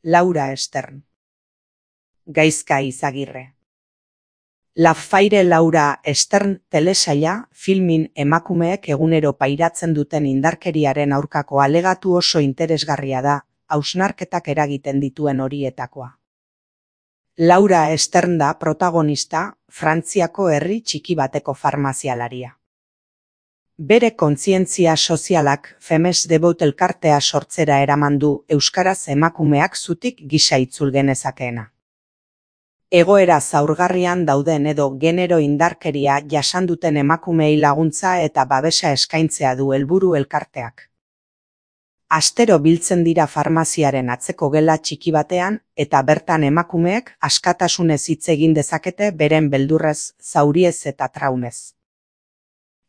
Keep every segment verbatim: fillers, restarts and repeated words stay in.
Laura Stern. Gaizka Izagirre. La Faire Laura Stern telesaila filmin emakumeek egunero pairatzen duten indarkeriaren aurkako alegatu oso interesgarria da, hausnarketak eragiten dituen horietakoa. Laura Stern da protagonista, Frantziako herri txiki bateko farmazialaria. Bere kontzientzia sozialak Femmes Debot elkartea sortzera eraman du euskaraz emakumeak zutik gisa itzul genezakeena. Egoera zaurgarrian dauden edo genero indarkeria jasan duten emakumeei laguntza eta babesa eskaintzea du helburu elkarteak. Astero biltzen dira farmaziaren atzeko gela txiki batean eta bertan emakumeek askatasunez hitz egin dezakete beren beldurrez, zauriez eta traumez.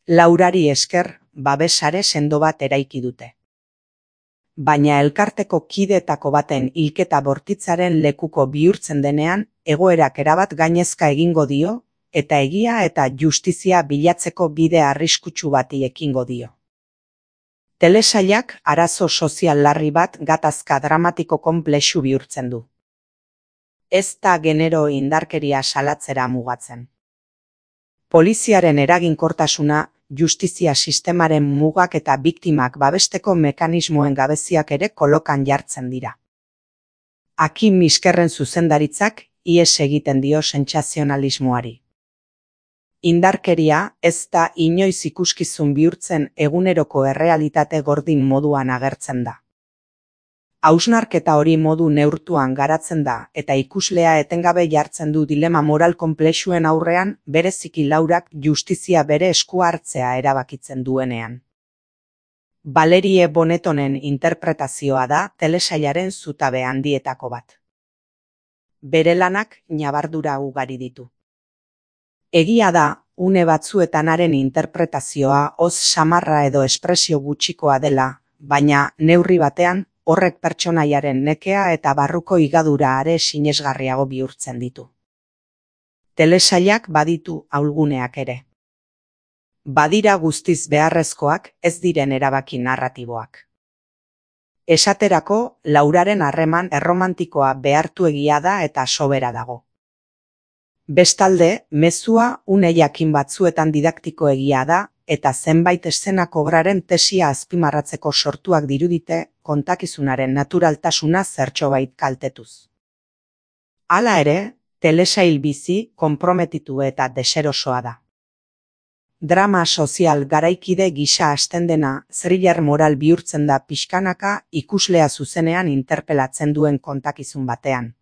Laurari esker, babesare sendo bat eraiki dute. Baina elkarteko kideetako baten hilketa bortitzaren lekuko bihurtzen denean, egoerak erabat gainezka egingo dio, eta egia eta justizia bilatzeko bide arriskutsu bati ekingo dio. Telesailak arazo sozial larri bat gatazka dramatiko konplexu bihurtzen du. Ez da genero indarkeria salatzera mugatzen. Poliziaren eraginkortasuna, justizia sistemaren mugak eta biktimak babesteko mekanismoen gabeziak ere kolokan jartzen dira. Hakim Miskerren zuzendaritzak ihes egiten dio sentsazionalismoari. Indarkeria ez da inoiz ikuskizun bihurtzen eguneroko errealitate gordin moduan agertzen da. Hausnarketa hori modu neurtuan garatzen da eta ikuslea etengabe jartzen du dilema moral konplexuen aurrean bereziki Laurak justizia bere esku hartzea erabakitzen duenean. Valerie Bonetonen interpretazioa da telesailaren zutabe handietako bat. Bere lanak ñabardura ugari ditu. Egia da, une batzuetan haren interpretazioa oz samarra edo espresio gutxikoa dela, baina neurri batean horrek pertsonaiaren nekea eta barruko higadura are sinesgarriago bihurtzen ditu. Telesailak baditu ahulguneak ere. Badira guztiz beharrezkoak ez diren erabaki narratiboak. Esaterako, Lauraren harreman erromantikoa behartuegia da eta sobera dago. Bestalde, mezua une jakin batzuetan didaktikoegia da eta zenbait eszenak obraren tesia azpimarratzeko sortuak dirudite kontakizunaren naturaltasuna zertxobait kaltetuz. Hala ere, telesail bizi, konprometitu eta deserosoa da. Drama sozial garaikide gisa hasten dena, thriller moral bihurtzen da pixkanaka ikuslea zuzenean interpelatzen duen kontakizun batean.